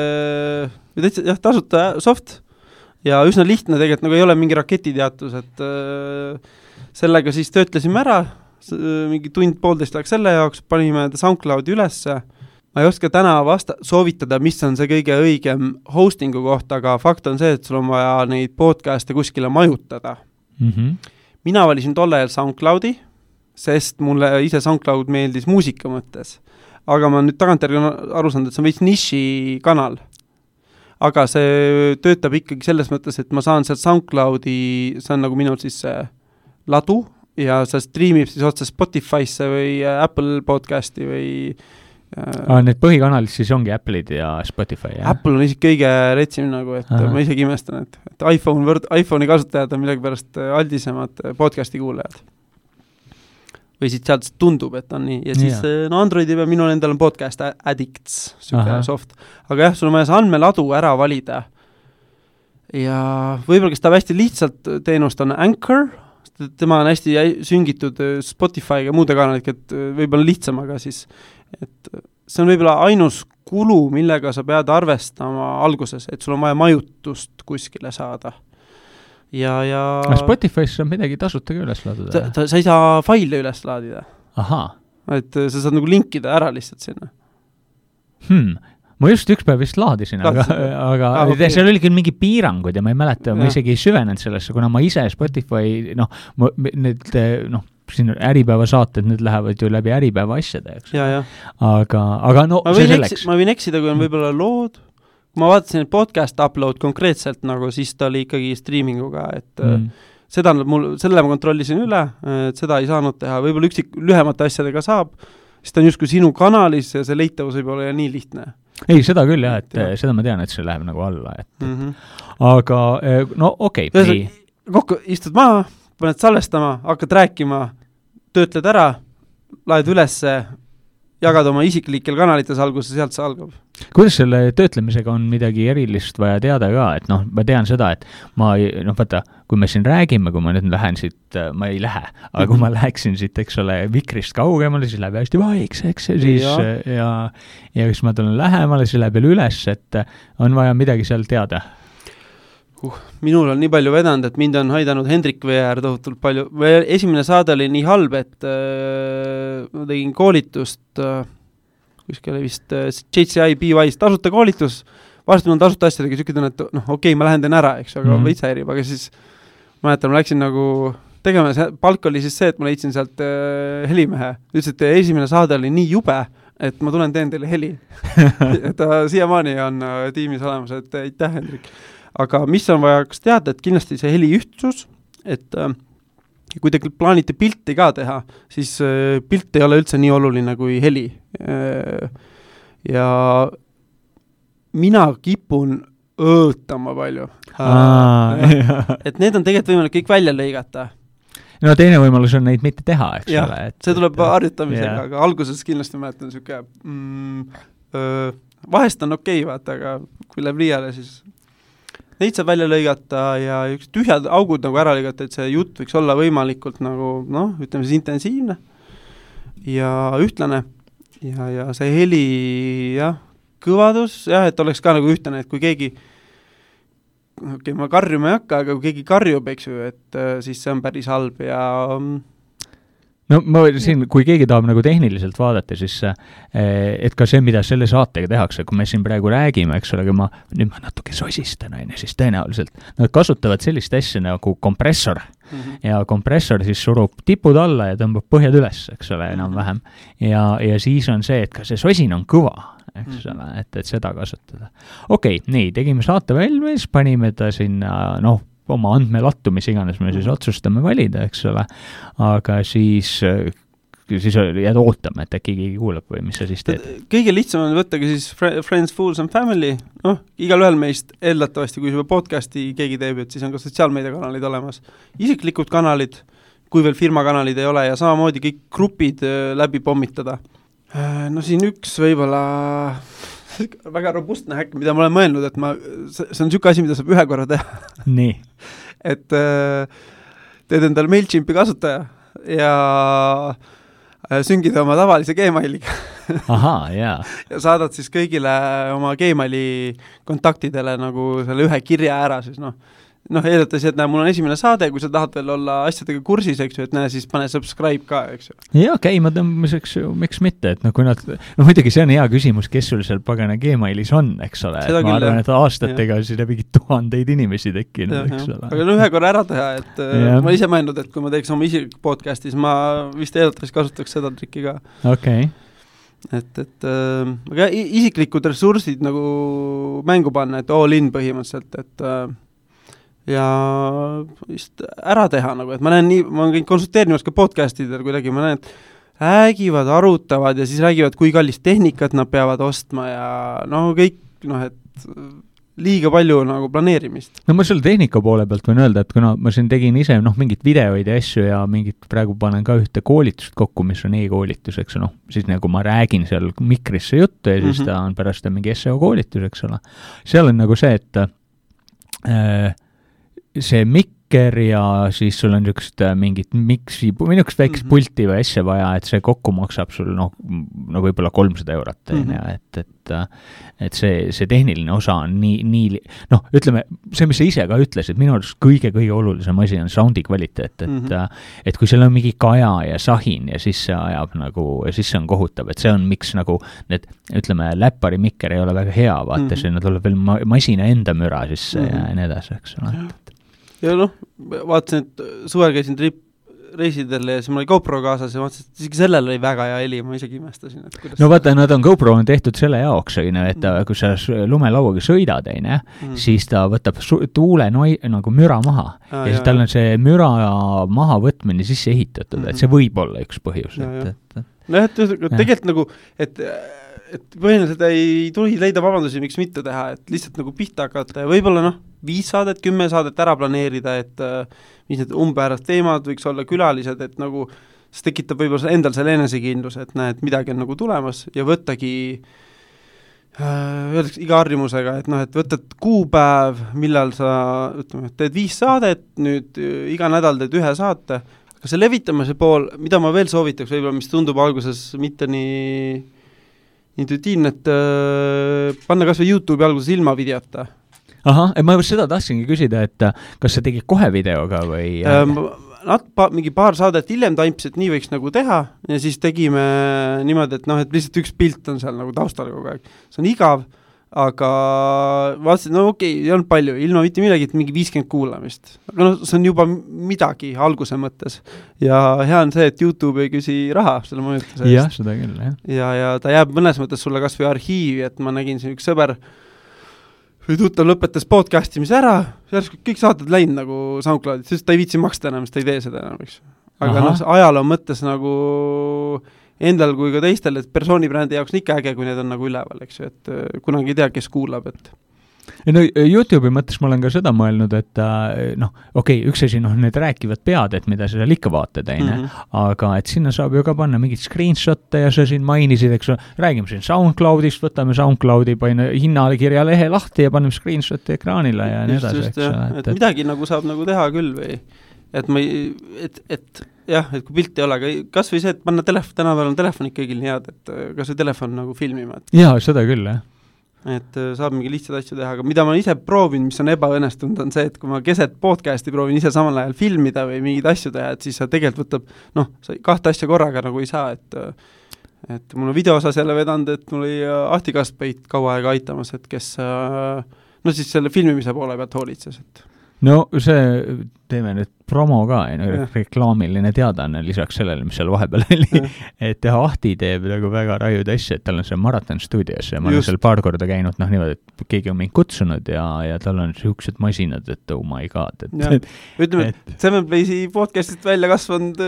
tasuta soft ja üsna lihtne tegelikult, nagu ei ole mingi raketiteatus, et sellega siis töötlesime ära, mingi tund-poolteist läks selle jaoks, panime SoundCloudi ülesse. Ma ei oska täna soovitada, mis on see kõige õigem hostingu kohta, aga fakt on see, et sul on vaja neid podcast'e kuskile majutada. Mina valisin tolle ajal SoundCloudi, sest mulle ise SoundCloud meeldis muusika mõttes. Aga ma nüüd tagantjärgi aru saanud, et see on veits niši kanal. Aga see töötab ikkagi selles mõttes, et ma saan sealt SoundCloudi, see on nagu minul siis ladu ja see streamib siis otse Spotify'sse või Apple podcasti või need põhikanalid siis ongi Apple'id ja Spotify, jah? Apple on isegi kõige retsim nagu, et ma isegi imestan, et iPhone'i kasutajad on midagi pärast aldisemad podcasti kuulajad. Või siit sealt tundub, et on nii. Ja siis Androidi peal minul endal on podcast Addicts, soft. Aga jah, sul on vaja see andmeladu ära valida. Ja võib-olla, kes ta hästi lihtsalt teenust on Anchor, tema on hästi süngitud Spotify'ga muude kanaliga, et võib-olla lihtsam, aga siis et see on võib-olla ainus kulu, millega sa pead arvestama alguses, et sul on vaja majutust kuskile saada. Ja Spotify's on midagi tasuta ka üles laadida? Sa ei saa faile üles laadida. Aha. Et sa saad nagu linkida ära lihtsalt sinna. Ma just üks päev vist laadisin, aga okay. Seal oli küll mingi piirangud ja ma ei mäleta, ma isegi ei süvenenud sellesse, kuna ma ise Spotify, need siin äripäeva saated, need lähevad ju läbi äripäeva asjade, eks. Aga see selleks. Ma võin eksida, kui on võib-olla lood. Ma vaatasin, et podcast upload konkreetselt, nagu siis ta oli ikkagi streaminguga, et selle ma kontrollisin üle, et seda ei saanud teha, võib-olla lühemate asjadega saab, siis ta on justkui sinu kanalis ja see leitavus võib olla nii lihtne. Ei, seda küll jah, et seda ma tean, et see läheb nagu alla, et aga okei. Kokku istud maha, paned salvestama, hakkad rääkima, töötled ära, laed ülesse, jagad oma isiklikel kanalites alguses, sealt see algab. Kuidas selle töötlemisega on midagi erilist vaja teada ka, et ma tean seda, et vaata, kui me siin räägime, kui ma nüüd lähen siit, ma ei lähe, aga kui ma läheksin siit, eks ole, mikrist kaugemale, siis läheb hästi vaikseks ja siis ma tulen lähemale, siis läheb veel üles, et on vaja midagi seal teada. Minul on nii palju vedanud, et mind on haidanud Hendrik VR tohutult palju. Esimene saade oli nii halb, et ma tegin koolitust, kuskil oli vist JCI BY's tasuta koolitus, varsti on tasuta asjadega, sükid on, et okei, ma lähen teen ära, eks, aga veits häirib, aga siis mäletan, ma läksin nagu tegema, palk oli siis see, et ma leidsin sealt helimehe. Ütles, et esimene saade oli nii jube, et ma tulen teen teile heli. Ta siiamaani on tiimis olemas, et aitäh, Hendrik. Aga mis on vaja teada, et kindlasti see heli ühtsus, et kui te plaanite pilti ka teha, siis pilt ei ole üldse nii oluline kui heli. Ja mina kipun õõtama palju. Et need on tegelikult võimalik kõik välja lõigata. No teine võimalus on neid mitte teha, eks ole. See tuleb harjutamisega, aga alguses kindlasti mäletan siuke vahest on okei, vaata, aga kui läheb liiale, siis neid saab välja lõigata ja üks tühjad augud nagu ära lõigata, et see jutt võiks olla võimalikult nagu, ütleme siis intensiivne ja ühtlane ja see heli, kõvadus, et oleks ka nagu ühtlane, et kui keegi ma karjuma ei hakka, aga kui keegi karjub, eks ju, et siis see on päris halb ja no ma siin, kui keegi tahab nagu tehniliselt vaadata, siis et ka see, mida selle saatega tehakse, kui me siin praegu räägime, eks ole, aga nüüd ma natuke sosistan, siis tõenäoliselt nad kasutavad sellist asja nagu kompressor ja kompressor siis surub tipud alla ja tõmbab põhjad üles, eks ole, enam-vähem. Ja siis on see, et ka see sosin on kõva, eks ole, et seda kasutada. Okei, nii, tegime saate valmis, panime ta sinna, oma andmelattu, mis iganes me siis otsustame valida, eks ole, aga siis jääd ootama, et äkki keegi kuulab või mis sa siis teed? Kõige lihtsam on võttagi siis Friends, Fools and Family, igal ühel meist eeldatavasti, kui juba podcasti keegi teeb, et siis on ka sotsiaalmeediakanalid olemas. Isiklikud kanalid, kui veel firmakanalid ei ole ja samamoodi kõik grupid läbi pommitada. No siin üks võib-olla väga robustne häkk, mida ma olen mõelnud, et see on niisugune asi, mida saab ühe korra teha. Nii. Et teed endale MailChimpi kasutaja ja süngid oma tavalise Gmailiga. Ahaa, jaa. Ja saadad siis kõigile oma Gmaili kontaktidele nagu selle ühe kirja ära siis, eeldates, et mul on esimene saade, kui sa tahad veel olla asjadega kursis, eks ju, et siis pane subscribe ka, eks ju. Jaa, käima tõmbamiseks, miks mitte, et kui nad, muidugi see on hea küsimus, kes sul seal pagana Gmailis on, eks ole, et ma arvan, et aastatega on siin läbi 1000 inimesi tekkinud, eks ole. Aga ühe korra ära teha, et ma ise mõelnud, et kui ma teeks oma isiklik podcastis, ma vist eeldatavasti kasutaks seda trikki ka. Okei. Aga isiklikud ressursid nagu mängu panna, et all in põhimõtteliselt, et ja just ära teha nagu, et ma olen kõik konsulteerimas ka podcastidel kuidagi, ma näen, et räägivad, arutavad ja siis räägivad, kui kallist tehnikat nad peavad ostma ja kõik, et liiga palju nagu planeerimist. No ma selle tehnika poole pealt võin öelda, et kuna ma siin tegin ise mingit videoid ja asju ja mingit praegu panen ka ühte koolitust kokku, mis on e-koolitus, eks siis nagu ma räägin seal mikrisse juttu ja siis ta on pärast mingi SEO koolitus, eks ole. Seal on nagu see, et see mikker ja siis sul on niisugust mingit miksi, või niisugust väikest pulti või asja vaja, et see kokku maksab sul võib-olla 300 eurot, et see tehniline osa on nii ütleme, see, mis sa ise ka ütlesid, minu arust kõige olulisem asi on soundi kvaliteet, et kui seal on mingi kaja ja sahin ja siis see ajab ja siis see on kohutav, et see on miks need, ütleme, läppari mikker ei ole väga hea, vaata, sinna tuleb veel masina enda müra sisse ja nii edasi, eks ole. Ja vaatasin, et suvel käisin reisidel ja siis mul oli GoPro kaasas ja vaatasin, et isegi sellel oli väga hea heli, ma isegi imestasin. Vaata, GoPro on tehtud selle jaoks, et kui sa lumelauaga sõidad, siis ta võtab tuule nagu müra maha ja siis tal on see müra maha võtmine sisse ehitatud, et see võib olla üks põhjus. Tegelikult nagu, et põhimõtteliselt ei tuli leida vabandusi, miks mitte teha, et lihtsalt nagu pihta hakata ja võib-olla 5 saadet, 10 saadet ära planeerida, et mis need umbäärast teemad võiks olla külalised, et nagu see tekitab võib-olla endal selle enesekindlus, et näed, midagi on nagu tulemas ja võttagi öeldaks iga harjumusega, et võtad kuupäev, millal sa teed 5 saadet, nüüd iga nädal teed 1 saate, aga see levitamise pool, mida ma veel soovitaks võib-olla, mis tundub alguses mitte nii intuitiivne, et panna kas või YouTube'i alguses ilma videota. Ahah, ma seda tahtsingi küsida, et kas sa tegid kohe videoga või? Mingi paar saadet hiljem taimps, et nii võiks nagu teha ja siis tegime niimoodi, et lihtsalt üks pilt on seal nagu taustal kogu aeg. See on igav, aga vaatasin, ei olnud palju, ilma mitte midagi, et mingi 50 kuulamist. Aga see on juba midagi alguse mõttes. Ja hea on see, et YouTube ei küsi raha selle mõjutuse eest. Jah, seda küll, jah. Ja ta jääb mõnes mõttes sulle kas või arhiivi, et ma nägin siin üks sõber või tuttav lõpetas podcastimise ära, kõik saated läinud nagu SoundCloudid, sest ta ei viitsi maksta enam, sest ta ei tee seda enam, eks. Aga ajaloo mõttes nagu endal kui ka teistel, et persoonibrändi jaoks on ikka äge, kui need on nagu üleval, eks ju, et kunagi ei tea, kes kuulab, et No YouTube'i mõttes ma olen ka seda mõelnud, et üks asi, need rääkivad pead, et mida sa seal ikka vaatad, aga et sinna saab ju ka panna mingid screenshotte ja sa siin mainisid, eks räägime siin SoundCloudist, võtame SoundCloudi, paine hinnakirja lehe lahti ja paneme screenshoti ekraanile ja nii edasi. Et midagi nagu saab nagu teha küll või, et kui pilti ei ole, aga kas või see, et panna tänapäeval on telefonid kõigil nii head, et kas või telefon nagu filmima. Jaa, seda küll, jah. Et saab mingi lihtsad asju teha, aga mida ma ise proovin, mis on ebaõnnestunud, on see, et kui ma keset podcasti proovin ise samal ajal filmida või mingeid asju teha, et siis sa tegelikult võtab, sa 2 asja korraga nagu ei saa, et mul on videoosas jälle vedanud, et mul oli Ahti Kaspeit kaua aega aitamas, et kes siis selle filmimise poole pealt hoolitses, et no see, teeme nüüd promo ka, reklaamiline teadaanne lisaks sellele, mis seal vahepeal oli, et Ahti teeb nagu väga raiud asja, et tal on see Marathon Studios ja ma olen seal paar korda käinud, niimoodi, et keegi on mind kutsunud ja tal on niisugused masinad, et oh my god. Ütleme, et Seven Playsi podcastist välja kasvanud,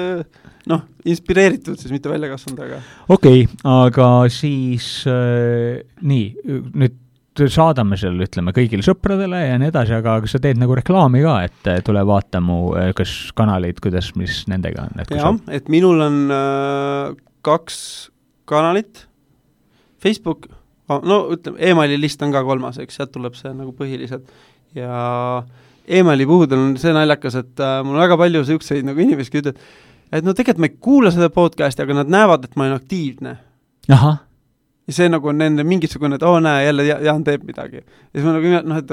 inspireeritud siis, mitte välja kasvanud, aga Okei, aga siis nüüd saadame seal, ütleme, kõigile sõpradele ja nii edasi, aga sa teed nagu reklaami ka, et tule vaata mu kas kanaleid, mis nendega on? Jah, et minul on 2 kanalit, Facebook, ütleme, emaili list on ka 3, eks, sealt tuleb see nagu põhiliselt ja emaili puhul on see naljakas, et mul on väga palju selliseid nagu inimesi ütled, et tegelikult ma ei kuula seda podcasti, aga nad näevad, et ma olen aktiivne. Ahah. Ja see nagu on nende mingisugune, et näe, jälle Jaan teeb midagi. Ja siis ma nagu, et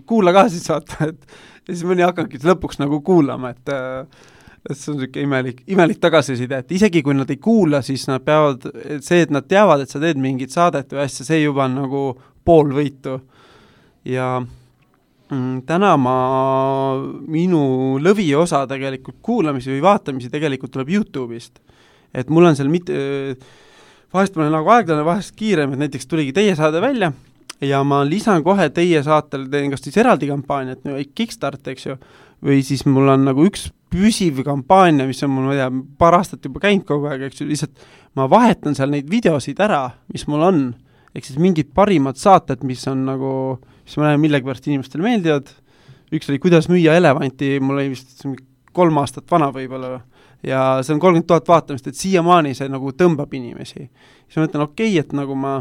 kuula ka siis saata, ja siis mõni hakkangi lõpuks nagu kuulama, et see on selline imelik tagasiside, et isegi kui nad ei kuula, siis nad peavad, see, et nad teavad, et sa teed mingit saadet või asja, see juba on nagu pool võitu. Ja täna minu lõviosa tegelikult kuulamisi või vaatamisi tegelikult tuleb YouTube'ist. Et mul on seal vahest ma olen nagu aeglane, vahest kiirem, et näiteks tuligi teie saade välja ja ma lisan kohe teie saatel, teen kas siis eraldi kampaaniat, Kickstart, eks ju, või siis mul on nagu üks püsiv kampaania, mis on mul, ma ei tea, paar aastat juba käinud kogu aeg, eks ju, lihtsalt ma vahetan seal neid videosid ära, mis mul on, ehk siis mingid parimad saated, mis on nagu, mis ma näen millegipärast inimestele meeldivad, üks oli Kuidas müüa elevanti, mul oli vist 3 aastat vana võib-olla, ja see on 30 000 vaatamist, et siiamaani see nagu tõmbab inimesi. Siis ma mõtlen, et nagu ma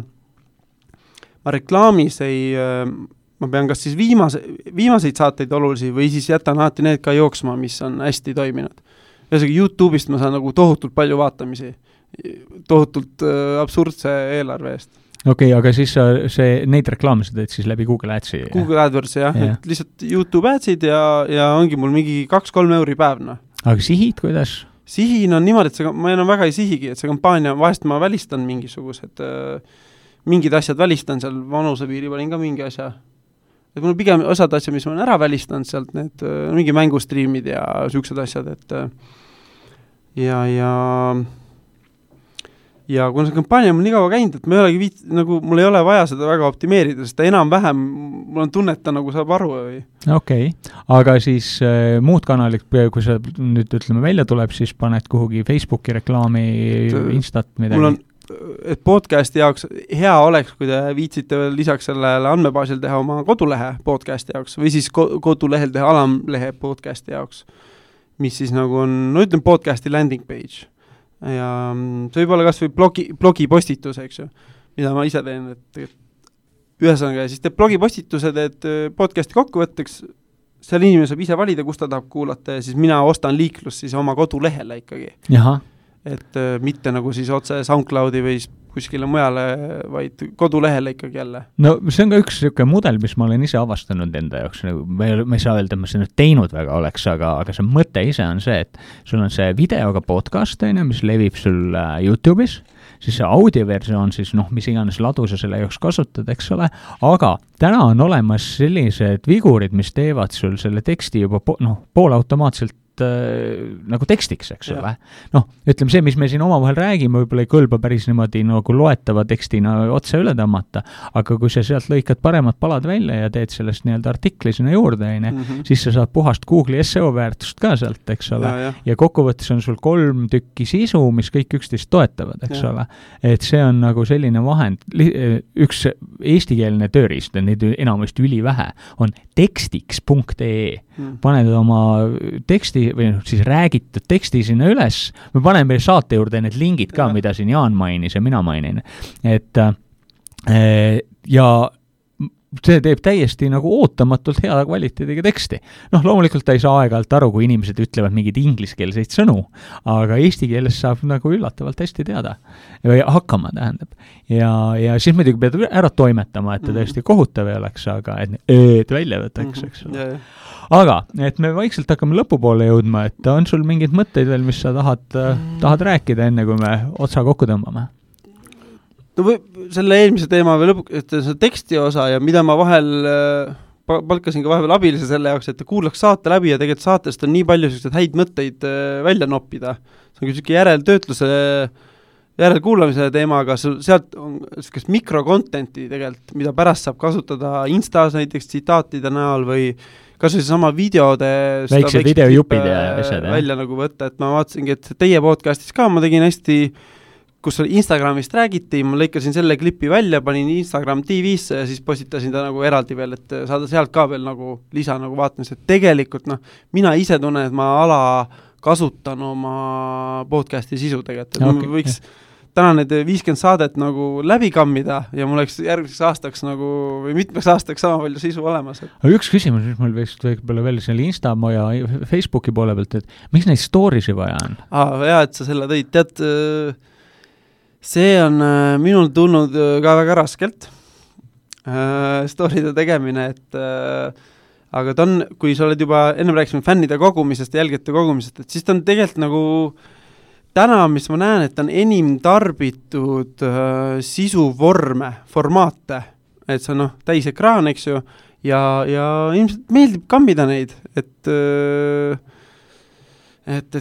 reklaamis ma pean kas siis viimaseid saateid olulisi või siis jätan alati need ka jooksma, mis on hästi toiminud. Ühesõnaga YouTube'ist ma saan nagu tohutult palju vaatamisi, tohutult absurdse eelarve eest. Okei, aga siis neid reklaamisid teed siis läbi Google Adsi? Google AdWords, jah. Et lihtsalt YouTube Adsid ja ongi mul mingi 2-3 euri päevna. Aga sihid, kuidas? Sihin on niimoodi, et ma enam väga ei sihigi, et see kampaania, vahest ma välistan mingisugused, mingid asjad välistan seal, vanusepiiri panin ka mingi asja. Et mul on pigem osad asjad, mis ma olen ära välistanud sealt, need mingi mängustriimid ja sellised asjad, et ja kuna see kampaania on nii kaua käinud, et ma ei olegi mul ei ole vaja seda väga optimeerida, sest ta enam-vähem, mul on tunnet, ta nagu saab aru. Okei, aga siis muud kanalid, kui sa nüüd ütleme välja tuleb, siis paned kuhugi Facebooki reklaami, Instat midagi? Mul on, et podcasti jaoks hea oleks, kui te viitsite veel lisaks sellele andmebaasil teha oma kodulehe podcasti jaoks või siis kodulehel teha alamlehe podcasti jaoks, mis siis nagu on, ütleme podcasti landing page. Ja see võib olla kas või blogi postitus, eks ju, mida ma ise teen, et ühesõnaga, siis teeb blogi postitused, et podcasti kokkuvõtteks, seal inimene saab ise valida, kus ta tahab kuulata ja siis mina ostan liiklust siis oma kodulehele ikkagi. Jaha. Et mitte nagu siis otse SoundCloudi või kuskile mujale, vaid kodulehele ikkagi jälle. No see on ka üks selline mudel, mis ma olen ise avastanud enda jaoks, ma ei saa öelda, et ma seda teinud väga oleks, aga see mõte ise on see, et sul on see videoga podcast, mis levib sul YouTube'is, siis see audioversioon siis, mis iganes ladu sa selle jaoks kasutad, eks ole, aga täna on olemas sellised vigurid, mis teevad sul selle teksti juba poolautomaatselt nagu tekstiks, eks ole. Noh, ütleme see, mis me siin omavahel räägime, võib-olla ei kõlba päris niimoodi nagu loetava tekstina otse üle tõmmata, aga kui sa sealt lõikad paremad palad välja ja teed sellest nii-öelda artikli sinna juurde, siis sa saad puhast Google'i SEO väärtust ka sealt, eks ole, ja kokkuvõttes on sul 3 tükki sisu, mis kõik üksteist toetavad, eks ole. Et see on nagu selline vahend, üks eestikeelne tööriist, neid enamasti ülivähe, on tekstiks.ee. Paned oma teksti või siis räägitud teksti sinna üles, me paneme saate juurde need lingid ka, mida siin Jaan mainis ja mina mainin, et ja see teeb täiesti nagu ootamatult hea kvaliteediga teksti. Noh, loomulikult ta ei saa aeg-ajalt aru, kui inimesed ütlevad mingeid ingliskeelseid sõnu, aga eesti keeles saab nagu üllatavalt hästi teada või hakkama, tähendab. Ja siis muidugi pead ära toimetama, et ta tõesti kohutav ei oleks, aga et välja võtaks, eks ole. Aga, et me vaikselt hakkame lõpupoole jõudma, et on sul mingeid mõtteid veel, mis sa tahad rääkida enne, kui me otsa kokku tõmbame? No selle eelmise teema või lõpuks, et see teksti osa ja mida ma vahel palkasin ka vahepeal abilise selle jaoks, et kuulaks saate läbi ja tegelikult saatest on nii palju sellised häid mõtteid välja noppida. See on küll järeltöötluse, järelkuulamise teemaga, sealt on sellist mikrokontenti tegelikult, mida pärast saab kasutada Instas näiteks tsitaatide näol või kas või sama videode väiksed videojupid ja asjad välja nagu võtta, et ma vaatasingi, et teie podcastis ka ma tegin hästi, kus Instagramist räägiti, ma lõikasin selle klipi välja, panin Instagram TV-sse ja siis postitasin ta nagu eraldi veel, et saada sealt ka veel nagu lisa nagu vaatamis, et tegelikult mina ise tunnen, et ma kasutan oma podcasti sisu tegelikult, et võiks täna need 50 saadet nagu läbi kammida ja mul oleks järgmiseks aastaks nagu, või mitmeks aastaks sama palju sisu olemas. Aga üks küsimus, mis mul võib-olla veel selle Insta ja Facebooki poole pealt, et miks neid storiesi vaja on? Hea, et sa selle tõid. Tead, see on minul tulnud ka väga raskelt story'de tegemine, et aga ta on, kui sa oled juba, ennem rääkisime fännide kogumisest ja jälgijate kogumisest, et siis ta on tegelikult nagu täna, mis ma näen, et on enim tarbitud sisuvorme, formaate, et see on täis ekraan, eks ju, ja ilmselt meeldib kammida neid, et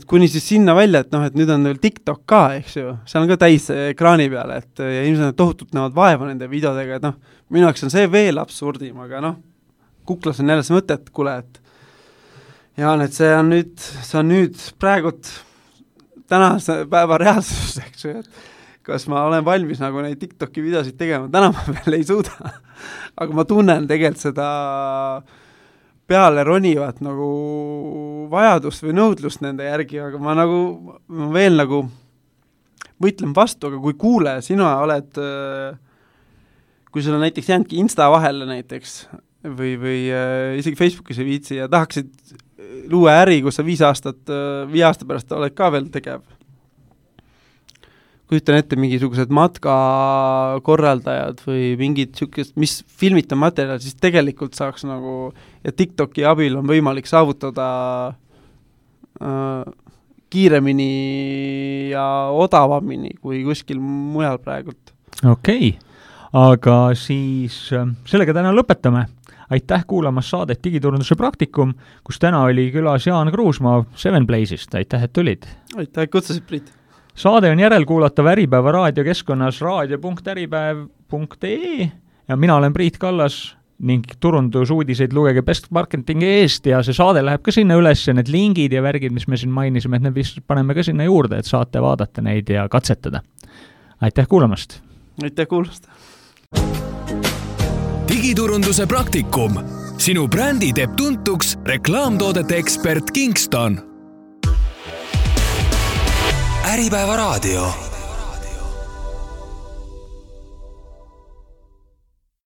kuni siis sinna välja, et nüüd on veel TikTok ka, eks ju, see on ka täis ekraani peale, et ja ilmselt tohutult näevad vaeva nende videodega, et minu jaoks on see veel absurdim, aga kuklas on jälle see mõte, et kuule, et Jaan, et see on nüüd praegult tänase päeva reaalsus, eks ju, et kas ma olen valmis nagu neid TikToki videosid tegema, täna ma veel ei suuda, aga ma tunnen tegelikult seda peale ronivat nagu vajadust või nõudlust nende järgi, aga ma veel nagu võitlen vastu, aga kui kuule, sina oled, kui sul on näiteks jäänudki Insta vahele näiteks või isegi Facebookis ei viitsi ja tahaksid luua äri, kus sa 5 aasta pärast oled ka veel tegev. Kujutan ette mingisugused matkakorraldajad või mingid sükest, mis filmita materjal, siis tegelikult saaks nagu, ja TikToki abil on võimalik saavutada kiiremini ja odavamini kui kuskil mujal praegult. Okei, aga siis sellega täna lõpetame. Aitäh kuulamas saadet Digiturunduse praktikum, kus täna oli külas Jaan Kruusmaa 7Blaze'ist. Aitäh, et tulid. Aitäh, et kutsusid, Priit. Saade on järelkuulatav Äripäeva raadiokeskkonnas raadio.äripäev.ee ja mina olen Priit Kallas ning turundusuudiseid lugege Best Marketingi eest ja see saade läheb ka sinna üles ja need lingid ja värgid, mis me siin mainisime, et need vist paneme ka sinna juurde, et saate vaadata neid ja katsetada. Aitäh kuulamast! Aitäh kuulamast! Digiturunduse praktikum. Sinu brändi teeb tuntuks reklaamtoodete ekspert Kingston. Äripäeva raadio.